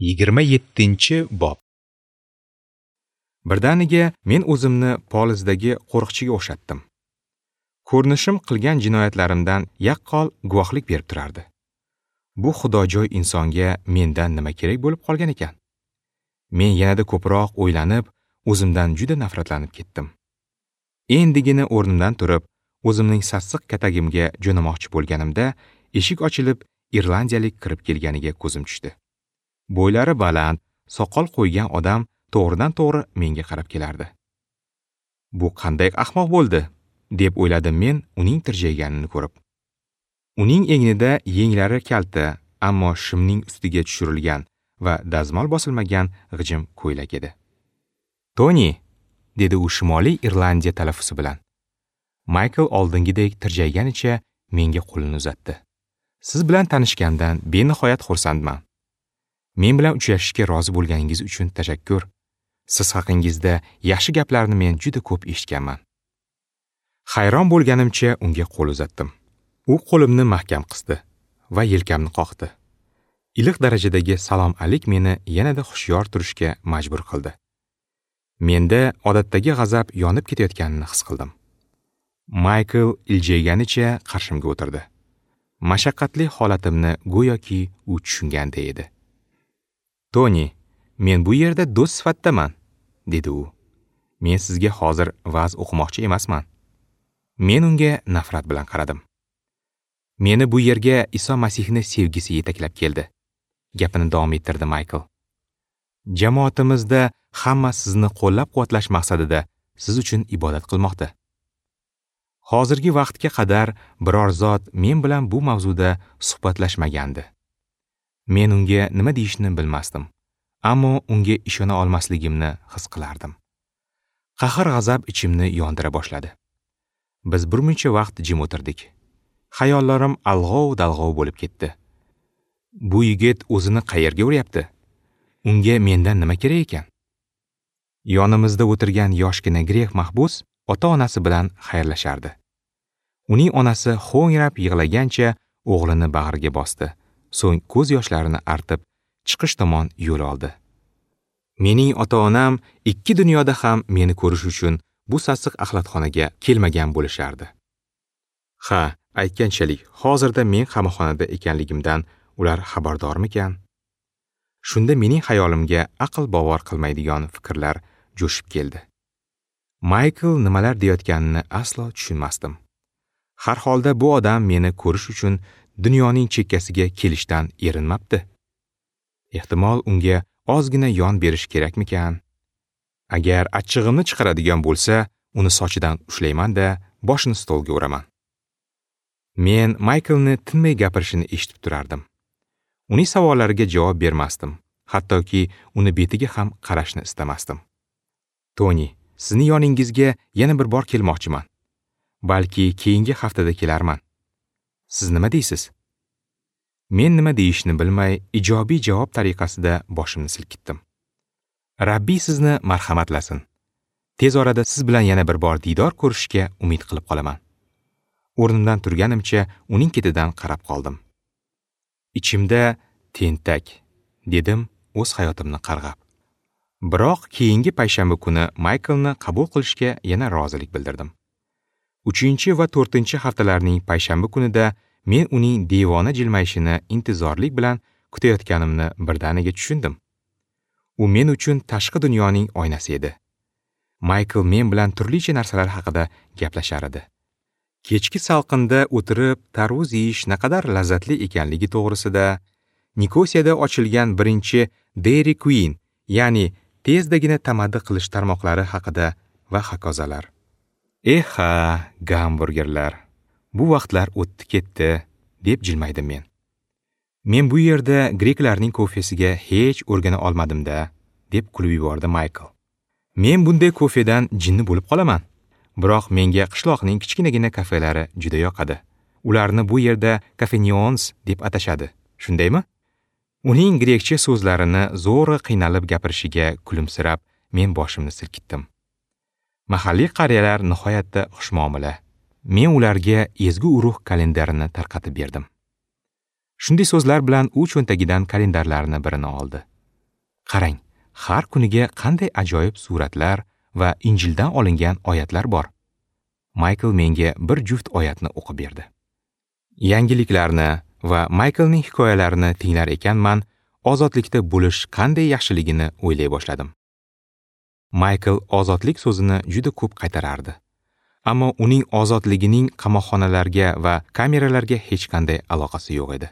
27-bob. Birdaniga men o'zimni polizdagi qo'riqchiga o'xshatdim. Ko'rinishim qilgan jinoyatlarimdan yaqqol guvohlik berib turardi. Bu xudojo'y insonga mendan nima kerak bo'lib qolgan ekan? Men yanada ko'proq o'ylanib, o'zimdan juda nafratlanib ketdim. Endigina o'rnimdan turib, o'zimning sassiq katagimga jo'namoqchi bo'lganimda, eshik ochilib, irlandiyalik kirib kelganiga ko'zim tushdi. Bo'ylari baland, soqol qo'ygan odam to'g'ridan-to'g'ri menga qarab kelardi. Bu qanday ahmoq bo'ldi, deb o'yladim men uning tirjayganini ko'rib. Uning egnida yenglari kalta, ammo shimning ustiga tushirilgan va dazmol bosilmagan g'ijim ko'ylak edi. "Toni", dedi u Shimoliy Irlandiya talaffuzi bilan. Michael oldingidek tirjayganicha menga qo'lini uzatdi. "Siz bilan tanishgandan benihoyat xursandman. Men bilan uchrashishga rozi bo'lganingiz uchun tashakkur. Siz haqingizda yaxshi gaplarni men juda ko'p eshitganman." Hayron bo'lganimcha unga qo'l uzatdim. U qo'limni mahkam qisdi va yelkamni qoqdi. Iliq darajadagi salom alik meni yanada hushyor turishga majbur qildi. Menda odatdagi g'azab yonib ketayotganini his qildim. Michael iljayganicha qarshimga o'tirdi. Mashaqqatli holatimni go'yoki u tushunganday edi. "Toni, men bu yerda do'st sifatidaman", dedi u. "Men sizga hozir va'z o'qimoqchi emasman." Men unga nafrat bilan qaradim. "Meni bu yerga Iso Masihni sevgisi yetaklab keldi", gapini davom ettirdi Michael. "Jamoatimizda hamma sizni qo'llab-quvvatlash maqsadida siz uchun ibodat qilmoqda. Hozirgi vaqtga qadar biror zot men bilan bu mavzuda suhbatlashmagandi. Men unga nima deyishni bilmasdim, ammo unga ishona olmasligimni his qilardim. Qahr-g'azab ichimni yondira boshladi. Biz birmuncha vaqt jim o'tirdik. Xayollarim alg'ov-dalg'ov bo'lib ketdi. Bu yigit o'zini qayerga uryapti? Unga mendan nima kerak ekan? Yonimizda o'tirgan yoshgina grek mahbus ota-onasi bilan xayrlashardi. Uning onasi ho'ngrab yig'lagancha o'g'lini bag'riga bosdi. So'ng ko'z yoshlarini artib, chiqish tomon yo'l oldi. Mening ota-onam ikki dunyoda ham meni ko'rish uchun bu sassiq axlatxonaga kelmagan bo'lishardi. Ha, aytganchalik, hozirda men qamoqxonada ekanligimdan ular xabardormikan? Shunda mening xayolimga aql bovar qilmaydigan fikrlar jo'shib keldi. Michael nimalar deyotganini aslo tushunmasdim. Har holda bu odam meni ko'rish uchun dunyoning chekkasiga kelishdan erinmabdi. Ehtimol unga ozgina yon berish kerakmikan? Agar achchig'imni chiqaradigan bo'lsa, uni sochidan ushlayman-da, boshini stolga uraman. Men Michaelni tinmay gapirishini eshitib turardim. Uning savollariga javob bermasdim, hattoki uni betiga ham qarashni istamasdim. "Toni, sizni yoningizga yana bir bor kelmoqchiman. Balki keyingi haftada kelarman. Siz nima deysiz?" Men nima deyishni bilmay, ijobiy javob tariqasida boshimni silkitdim. "Rabbiy sizni marhamatlasin. Tez orada siz bilan yana bir bor diydor ko'rishga umid qilib qolaman." O'rnimdan turganimcha uning ketidan qarab qoldim. Ichimda tentak, dedim o'z hayotimni qarg'ab. Biroq keyingi payshanba kuni Michaelni qabul qilishga yana rozilik bildirdim. 3 va 4 haftalarning payshanba kunida men uning devona jilmayishini intizorlik bilan kutayotganimni birdaniga tushundim. U men uchun tashqi dunyoning oynasi edi. Michael men bilan turlicha narsalar haqida gaplashar edi. Kechki salqinda o'tirib tarvuz yeyish naqadar lazzatli ekanligi to'g'risida, Nikosiyada ochilgan birinchi Dairy Queen, ya'ni tezdagina tamaddi qilish tarmoqlari haqida va hokazolar. "Eh ha, gamburgerlar. Bu vaqtlar o'tdi ketdi", deb jilmaydim men. "Men bu yerda greklarning kofesiga hech o'rgana olmadim-da", deb kulib yubordi Michael. "Men bunday kofedan jinni bo'lib qolaman. Biroq menga qishloqning kichkinagina kafelari juda yoqadi. Ularni bu yerda kafenions deb atashadi. Shundaymi?" Uning grekcha so'zlarini zo'rg'a qiynalib gapirishiga kulimsirab, men boshimni silkitdim. Mahalliy qariyalar nihoyatda xushmuomala. Men ularga ezgu urug' kalendarini tarqatib berdim. Shunday so'zlar bilan u cho'ntagidan kalendarlarni birini oldi. Qarang, har kuniga qanday ajoyib suratlar va Injildan olingan oyatlar bor. Maykl menga bir juft oyatni o'qib berdi. Yangiliklarni va Mayklning hikoyalarini tinglar ekanman, ozodlikda bo'lish qanday yaxshiligini o'ylay boshladim. Maykl ozodlik so'zini juda ko'p qaytarardi. Ammo uning ozodligining qamoqxonalarga va kameralarga hech qanday aloqasi yo'q edi.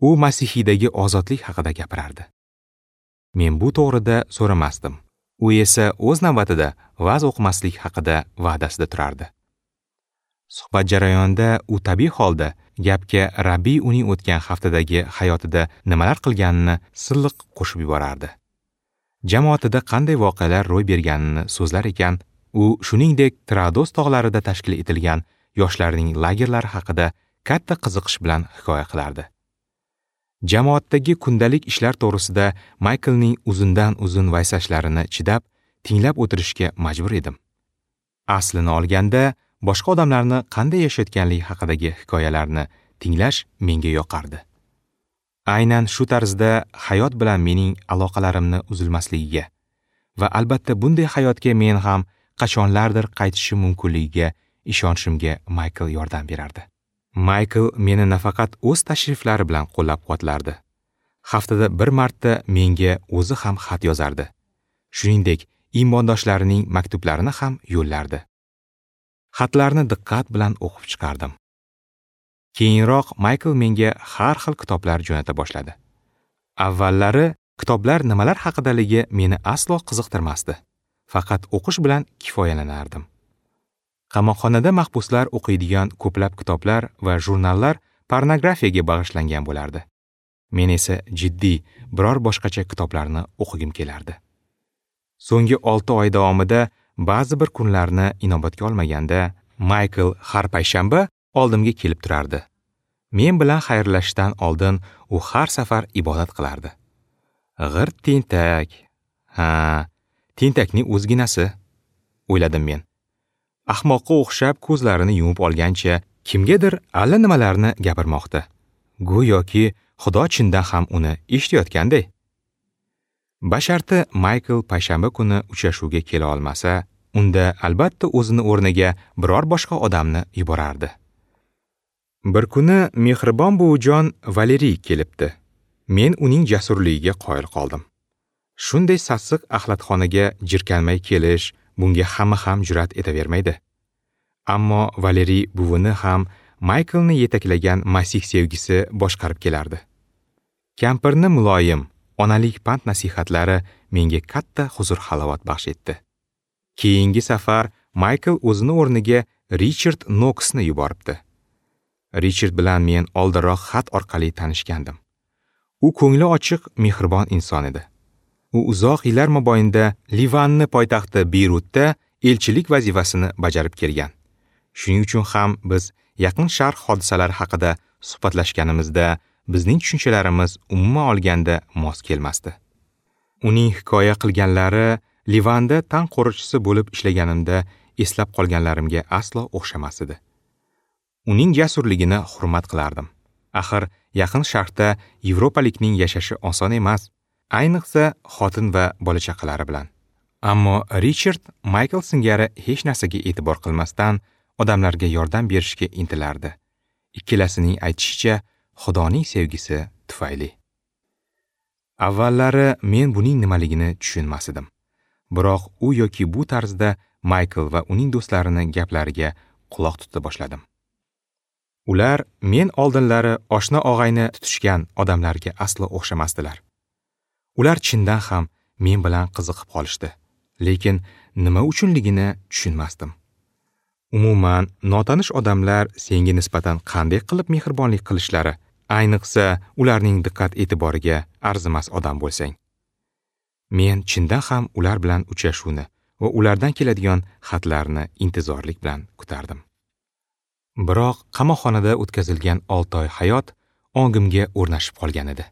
U Masihiydagi ozodlik haqida gapirardi. Men bu to'g'rida so'ramasdim. U esa o'z navbatida va'z o'qimaslik haqida va'dasida turardi. Suhbat jarayonida u tabiiy holda gapga Rabbiy uning o'tgan haftadagi hayotida nimalar qilganini silliq qo'shib yuborardi. Jamoatida qanday voqealar ro'y berganini so'zlar ekan, u shuningdek Trados tog'larida tashkil etilgan yoshlarning lagerlari haqida katta qiziqish bilan hikoya qilardi. Jamoatdagi kundalik ishlar to'g'risida Mayklning uzundan-uzun vaysashlarini chidab, tinglab o'tirishga majbur edim. Aslini olganda, boshqa odamlarni qanday yashayotganligi haqidagi hikoyalarni tinglash menga yoqardi. Aynan shu tarzda hayot bilan mening aloqalarimni uzilmasligiga va albatta bunday hayotga men ham qachonlardir qaytishim mumkinligiga ishonishimga Maykl yordam berardi. Maykl meni nafaqat o'z tashriflari bilan qo'llab-quvvatlardi. Haftada bir marta menga o'zi ham xat yozardi. Shuningdek, iymondoshlarining maktublarini ham yo'llardi. Xatlarni diqqat bilan o'qib chiqardim. Keyinroq Maykl menga har xil kitoblar jo'nata boshladi. Avvallari kitoblar nimalar haqidaligi meni aslo qiziqtirmasdi. Faqat o'qish bilan kifoyalanardim. Qamoqxonada mahbuslar o'qiydigan ko'plab kitoblar va jurnallar pornografiyaga bag'ishlangan bo'lardi. Men esa jiddiy, biror boshqacha kitoblarni o'qigim kelardi. So'nggi 6 oy davomida ba'zi bir kunlarni inobatga olmaganda Maykl har payshanba oldimga kelib turardi. Men bilan xayrlashishdan oldin u har safar ibodat qilardi. G'irt tentak. Ha, tentakning o'zginasi, o'yladim men. Ahmoqqa o'xshab ko'zlarini yumib olgancha kimgadir allanimalarni gapirmoqda. Go'yoki Xudo chindan ham uni eshitayotganday. Basharti Maykl payshanba kuni uchrashuvga kela olmasa, unda albatta o'zini o'rniga biror boshqa odamni yuborardi. Bir kuni mehribon buvijon Valeriy kelibdi. Men uning jasurligiga qoyil qoldim. Shunday sassiq axlatxonaga jirkanmay kelish, bunga hamma ham jur'at etavermaydi. Ammo Valeriy buvini ham Mayklni yetaklagan Masih sevgisi boshqarib kelardi. Kampirni muloyim, onalik pand nasihatlari menga katta huzur-halovat baxsh etdi. Keyingi safar Maykl o'zini o'rniga Richard Noksni yuboribdi. Richard bilan men oldinroq xat orqali tanishgandim. U ko'ngli ochiq, mehribon inson edi. U uzoq yillar mobaynida Livanni poytaxti Beyrutda elchilik vazifasini bajarib kelgan. Shuning uchun ham biz Yaqin Sharq hodisalari haqida suhbatlashganimizda bizning tushunchalarimiz umuman olganda mos kelmasdi. Uning hikoya qilganlari Livanda tan qo'riqchisi bo'lib ishlaganimda eslab qolganlarimga aslo o'xshamas edi. Uning jasurligini hurmat qilardim. Axir Yaqin Sharqda yevropalikning yashashi oson emas, ayniqsa xotin va bola-chaqalari bilan. Ammo Richard Maykl singari hech narsaga e'tibor qilmasdan odamlarga yordam berishga intilardi. Ikkalasining aytishicha, Xudoning sevgisi tufayli. Avvallari men buning nimaligini tushunmas edim. Biroq u yoki bu tarzda Maykl va uning do'stlarining gaplariga quloq tuta boshladim. Ular men oldinlari oshna og'ayni tutishgan odamlarga aslo o'xshamasdilar. Ular chindan ham men bilan qiziqib qolishdi, lekin nima uchunligini tushunmasdim. Umuman, notanish odamlar senga nisbatan qanday qilib mehribonlik qilishlari, ayniqsa ularning diqqat-e'tiboriga arzimas odam bo'lsang. Men chindan ham ular bilan uchrashuvni va ulardan keladigan xatlarni intizorlik bilan kutardim. Biroq qamoqxonada o'tkazilgan 6 oy hayot ongimga o'rnashib qolgan edi.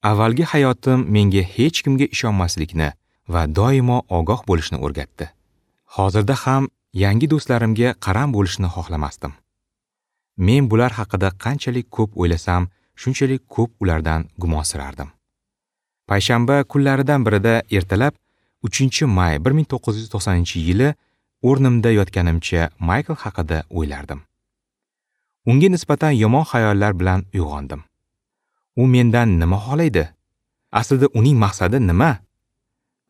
Avvalgi hayotim menga hech kimga ishonmaslikni va doimo ogoh bo'lishni o'rgatdi. Hozirda ham yangi do'stlarimga qaram bo'lishni xohlamasdim. Men bular haqida qanchalik ko'p o'ylasam, shunchalik ko'p ulardan gumonsirardim. Payshanba kunlaridan birida ertalab 3-may 1990-yili o'rnimda yotganimcha Maykl haqida o'ylardim. Unga nisbatan yomon xayollar bilan uyg'ondim. U mendan nima xohlaydi? Aslida uning maqsadi nima?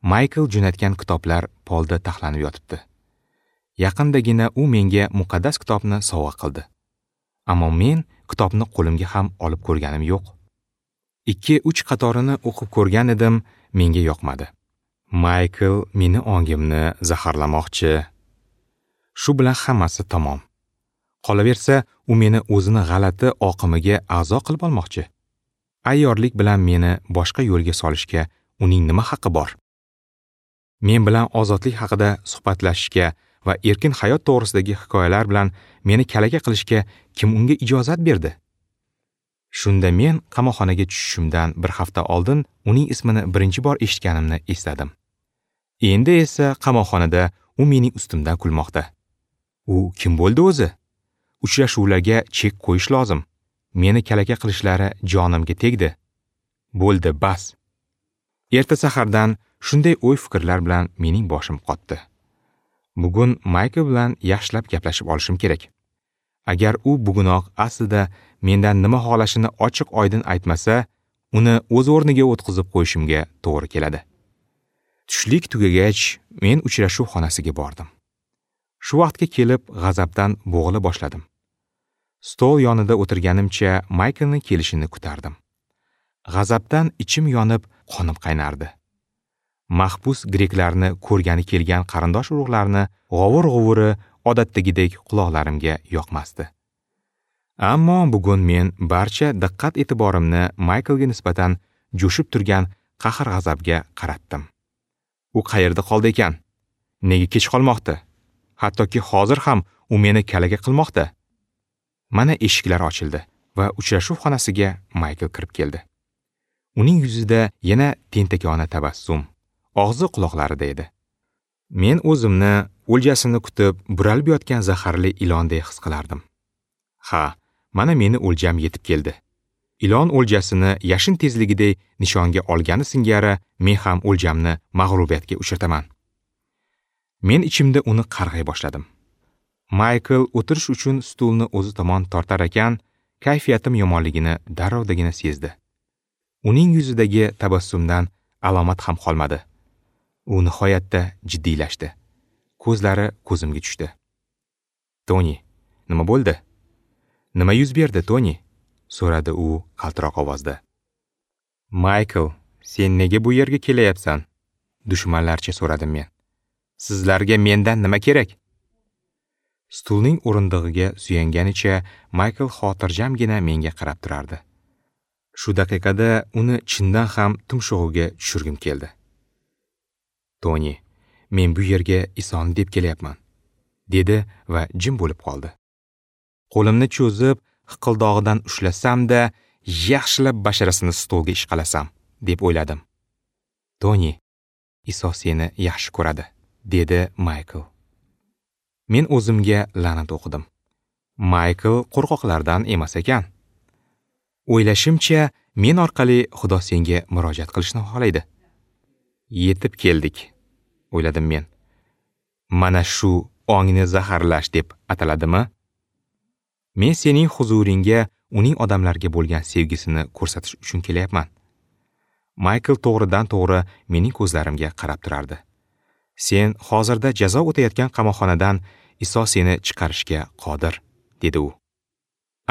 Maykl jo'natgan kitoblar polda taxlanib yotibdi. Yaqindagina u menga muqaddas kitobni sovg'a qildi. Ammo men kitobni qo'limga ham olib ko'rganim yo'q. 2-3 qatorini o'qib ko'rgan edim, menga yoqmadi. Maykl meni ongimni zaharlamoqchi. Shu bilan hammasi tamom. Qolaversa, u meni o'zini g'alati oqimiga a'zo qilib olmoqchi. Ayyorlik bilan meni boshqa yo'lga solishga uning nima haqqi bor? Men bilan ozodlik haqida suhbatlashishga va erkin hayot to'g'risidagi hikoyalar bilan meni kalaka qilishga kim unga ijozat berdi? Shunda men qamoqxonaga tushishimdan bir hafta oldin uning ismini birinchi bor eshitganimni esladim. Endi esa qamoqxonada u mening ustimdan kulmoqda. U kim bo'ldi o'zi? Uchrashuvlarga chek qo'yish lozim. Meni kalaka qilishlari jonimga tegdi. Bo'ldi, bas. Erta sahardan shunday o'y-fikrlar bilan mening boshim qotdi. Bugun Maykl bilan yaxshilab gaplashib olishim kerak. Agar u bugunoq aslida mendan nima xohlashini ochiq oydin aytmasa, uni o'z o'rniga o'tqizib qo'yishimga to'g'ri keladi. Tushlik tugagach, men uchrashuv xonasiga bordim. Shu vaqtga kelib g'azabdan bo'g'ila boshladim. Stol yonida o'tirganimcha Mayklning kelishini kutardim. G'azabdan ichim yonib, qonim qaynardi. Mahbus greklarni ko'rgani kelgan qarindosh urug'larni g'ovur-g'uvuri odatdagidek quloqlarimga yoqmasdi. Ammo bugun men barcha diqqat-e'tiborimni Mayklga nisbatan jo'shib turgan qahr-g'azabga qaratdim. U qayerda qoldi ekan? Nega kech qolmoqda? Hattoki hozir ham u meni kalaka qilmoqda. Mana eshiklar ochildi va uchrashuv xonasiga Maykl kirib keldi. Uning yuzida yana tentakona tabassum, og'zi quloqlarida edi. Men o'zimni o'ljasini kutib buralib yotgan zaharli ilondek his qilardim. Ha, mana meni o'ljam yetib keldi. Ilon o'ljasini yashin tezligidek nishonga olgani singari men ham o'ljamni mag'lubiyatga uchrataman. Men ichimda uni qarg'ay boshladim. Maykl o'tirish uchun stulni o'zi tomon tortar ekan, kayfiyatim yomonligini darrovdagina sezdi. Uning yuzidagi tabassumdan alomat ham qolmadi. U nihoyatda jiddiylashdi. Ko'zlari ko'zimga tushdi. "Toni, nima bo'ldi? Nima yuz berdi, Toni?" so'radi u qaltiroq ovozda. "Maykl, sen nega bu yerga kelayapsan?" dushmanlarcha so'radim men. "Sizlarga mendan nima kerak?" Stulning o'rindig'iga suyanganicha Maykl xotirjamgina menga qarab turardi. Shu daqiqada uni chindan ham tumshug'iga tushirgim keldi. "Toni, men bu yerga Isoni deb kelyapman", dedi va jim bo'lib qoldi. Qo'limni cho'zib, hiqildog'idan ushlasam-da, yaxshilab basharasini stolga ishqalasam, deb o'yladim. "Toni, Iso seni yaxshi ko'radi", dedi Maykl. Men o'zimga la'nat o'qidim. Maykl qo'rqoqlardan emas ekan. O'ylashimcha, men orqali Xudo senga murojaat qilishni xohlaydi. Yetib keldik, o'yladim men. Mana shu ongni zaharlash deb ataladimi? Men sening huzuringga uning odamlarga bo'lgan sevgisini ko'rsatish uchun kelyapman. Maykl to'g'ridan-to'g'ri mening ko'zlarimga qarab turardi. Sen hozirda jazo o'tayotgan qamoqxonadan Iso seni chiqarishga qodir, dedi u.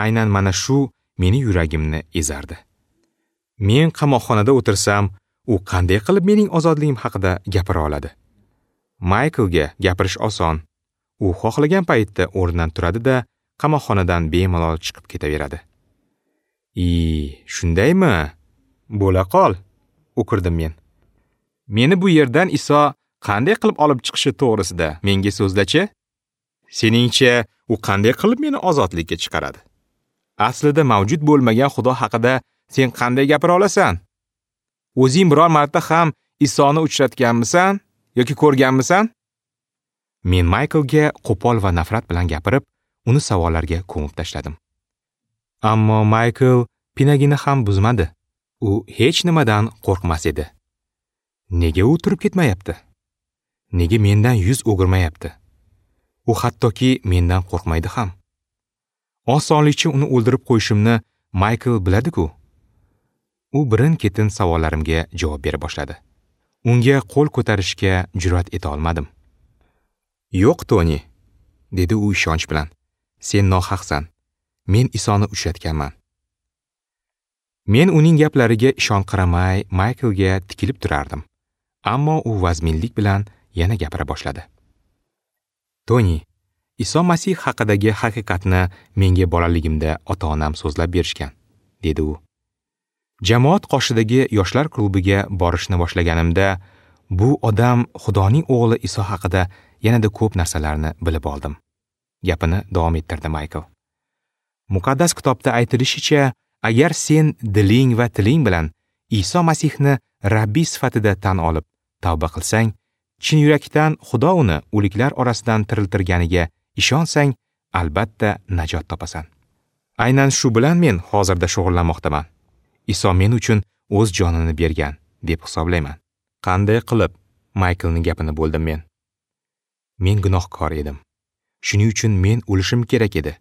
Aynan mana shu meni yuragimni ezardi. Men qamoqxonada o'tirsam, u qanday qilib mening ozodligim haqida gapira oladi? Mayklga gapirish oson. U xohlagan paytda o'rnidan turadi-da, qamoqxonadan bemalol chiqib ketaveradi. Shundaymi? Bo'la qol, o'kirdim men. Meni bu yerdan Iso qanday qilib olib chiqishi to'g'risida menga so'zlachi? Seningcha, u qanday qilib meni ozodlikka chiqaradi? Aslida mavjud bo'lmagan Xudo haqida sen qanday gapira olasan? O'zing biror marta ham Isoni uchratganmisan yoki ko'rganmisan? Men Mayklga qo'pol va nafrat bilan gapirib, uni savollarga ko'mib tashladim. Ammo Maykl pinagini ham buzmadi. U hech nimadan qo'rqmas edi. Nega u turib ketmayapti? Nega mendan yuz o'girmayapti? U hattoki mendan qo'rqmaydi ham. Osonlikcha uni o'ldirib qo'yishimni Maykl biladi-ku. U birin-ketin savollarimga javob bera boshladi. Unga qo'l ko'tarishga jur'at eta olmadim. "Yo'q, Toni," dedi u ishonch bilan. "Sen nohaqsan. Men Isoni uchratganman." Men uning gaplariga ishonqiramay Mayklga tikilib turardim. Ammo u vazminlik bilan yana gapira boshladi. "Toni, Iso Masih haqidagi haqiqatni menga bolaligimda ota-onam so'zlab berishgan," dedi u. Jamoat qoshidagi yoshlar klubiga borishni boshlaganimda, bu odam Xudoning o'g'li Iso haqida yanada ko'p narsalarni bilib oldim. Gapini davom ettirdi Maykl. Muqaddas kitobda aytilishicha, agar sen diling va tiling bilan Iso Masihni Rabbiy sifatida tan olib tavba qilsang, chin yurakdan Xudo uni o'liklar orasidan tiriltirganiga ishonsang, albatta najot topasan. Aynan shu bilan men hozirda shug'ullanmoqdaman. Iso men uchun o'z jonini bergan deb hisoblayman. Qanday qilib? Mayklning gapini bo'ldim men. Men gunohkor edim. Shuning uchun men o'lishim kerak edi.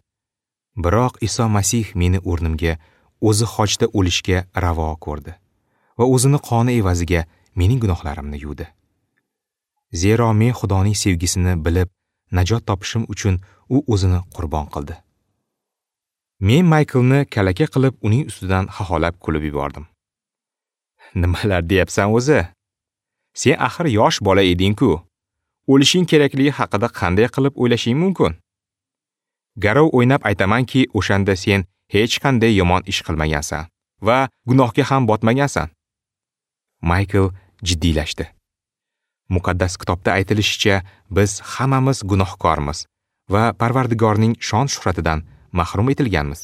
Biroq Iso Masih meni o'rnimga o'zi xochda o'lishga ravo ko'rdi va o'zini qoni evaziga mening gunohlarimni yuvdi. Zero men Xudoning sevgisini bilib najot topishim uchun u o'zini qurbon qildi. Men Mayklni kalaka qilib uning ustidan xaholab kulib yubordim. Nimalar deyapsan o'zi? Sen axir yosh bola eding-ku. O'lishing kerakligi haqida qanday qilib o'ylashing mumkin? Garov o'ynab aytamanki, o'shanda sen hech qanday yomon ish qilmagansan va gunohga ham botmagansan. Maykl jiddiylashdi. Muqaddas kitobda aytilishicha, biz hammamiz gunohkormiz va Parvardigorning shon-shuhratidan mahrum etilganmiz.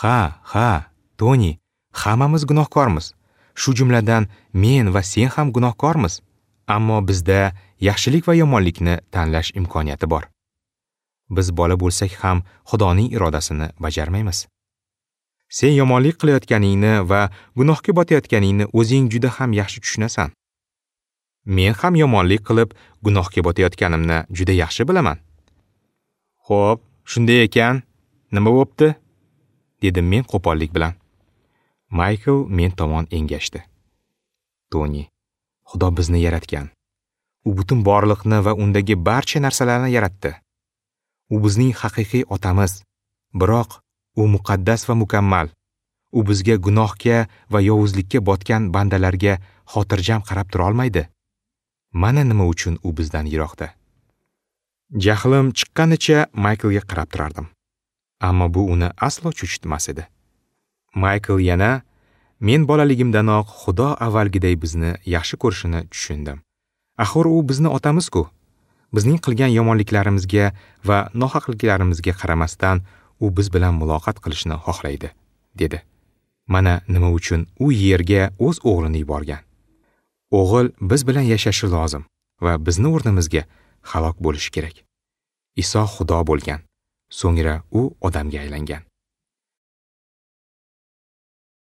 Ha, ha, Toni, hammamiz gunohkormiz. Shu jumladan men va sen ham gunohkormiz. Ammo bizda yaxshilik va yomonlikni tanlash imkoniyati bor. Biz bola bo'lsak ham Xudoning irodasini bajarmaymiz. Sen yomonlik qilayotganingni va gunohga botayotganingni o'zing juda ham yaxshi tushunasan. Men ham yomonlik qilib gunohga botayotganimni juda yaxshi bilaman. Xo'p, shunday ekan, nima bo'pti? Dedim men qo'pollik bilan. Maykl men tomon engashdi. Toni, Xudo bizni yaratgan. U butun borliqni va undagi barcha narsalarni yaratdi. U bizning haqiqiy otamiz. Biroq u muqaddas va mukammal. U bizga gunohga va yovuzlikka botgan bandalarga xotirjam qarab tura olmaydi. Mana nima uchun u bizdan yiroqda. Jahlim chiqqanicha Mayklga qarab turardim. Ammo bu uni aslo cho'chitmas edi. Maykl yana, men bolaligimdanoq Xudo avvalgiday bizni yaxshi ko'rishini tushundim. Axir u bizni otamiz-ku. Bizning qilgan yomonliklarimizga va nohaqliklarimizga qaramasdan u biz bilan muloqot qilishni xohlaydi, dedi. Mana nima uchun u yerga o'z o'g'lini yuborgan. O'g'il biz bilan yashashi lozim va bizni o'rnimizga halok bo'lishi kerak. Iso Xudo bo'lgan, so'ngra u odamga aylangan.